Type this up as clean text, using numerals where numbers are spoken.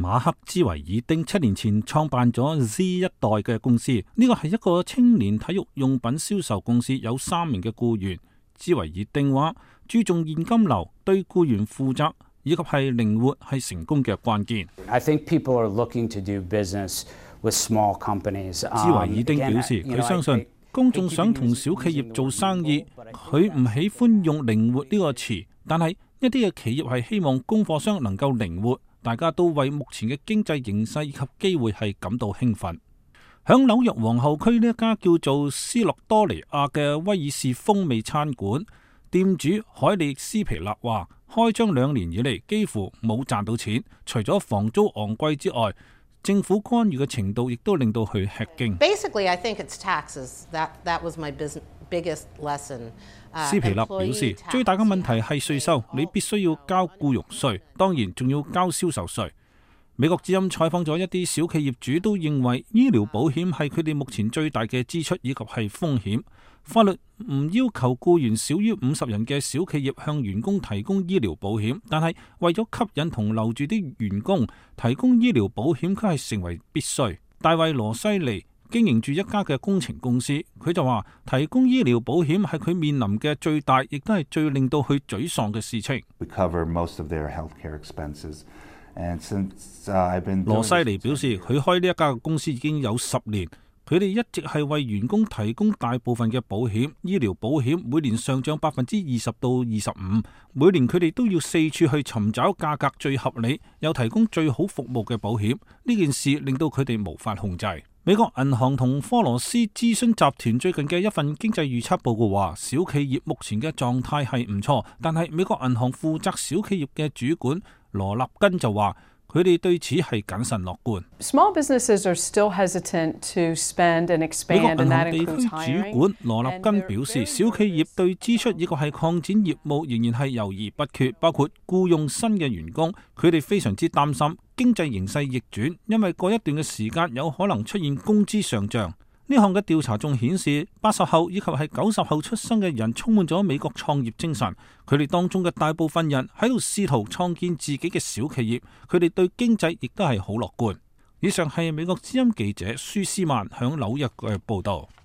馬克·茲維爾丁7年前創辦咗 Z 一代嘅公司，呢個係一個青年體育用品銷售公司，有3名嘅僱員。茲維爾丁話，注重現金流、對僱員負責以及係靈活係成功嘅關鍵。I think people are looking to do business with small companies. 茲維爾丁表示，佢相信公眾想同小企業做生意，佢唔喜歡用靈活呢個詞，但係一啲嘅企業係希望供貨商能夠靈活。大家都為目前嘅經濟形勢以及機會係感到興奮。響紐約皇后區呢一家叫做斯諾多尼亞嘅威爾士風味餐館，店主海利斯皮勒話，開張2年以嚟幾乎冇賺到錢，除咗房租昂貴之外，政府干預嘅程度亦都令到佢吃驚。Basically, I think it's taxes. That was my biggest lesson. 斯皮勒表示，最大嘅問題係稅收，你必須要交僱傭稅，當然仲要交銷售稅。美國之音採訪咗一啲小企業主，都認為醫療保險係佢哋目前最大嘅支出以及係風險。法律唔要求僱員少於50人嘅小企業向員工提供醫療保險，但係為咗吸引同留住啲員工，提供醫療保險卻係成為必須。大衛羅西尼經營住一家嘅工程公司，佢就話提供醫療保險係佢面臨嘅最大，亦都係最令到佢沮喪嘅事情。羅西尼表示，佢開呢一家公司已經有10年，佢哋一直係為員工提供大部分嘅保險，醫療保險每年上漲20%到25%，每年佢哋都要四處去尋找價格最合理又提供最好服務嘅保險。呢件事令到佢哋無法控制。美國銀行同科羅斯諮詢集團最近嘅一份經濟預測報告話，小企業目前嘅狀態係唔錯，但係美國銀行負責小企業嘅主管羅納根就話，佢哋對此係謹慎樂觀。Small businesses are still hesitant to spend and expand, and that includes hiring. 美國銀行地區主管羅納根表示，小企業對支出以及係擴展業務仍然係猶豫不決，包括僱用新嘅員工。佢哋非常之擔心經濟形勢逆轉，因為過一段嘅時間有可能出現工資上漲。呢項嘅調查仲顯示，80後以及係90後出生嘅人充滿咗美國創業精神。佢哋當中嘅大部分人喺度試圖創建自己嘅小企業，佢哋對經濟亦都係好樂觀。以上係美國之音記者舒斯曼響紐約嘅報道。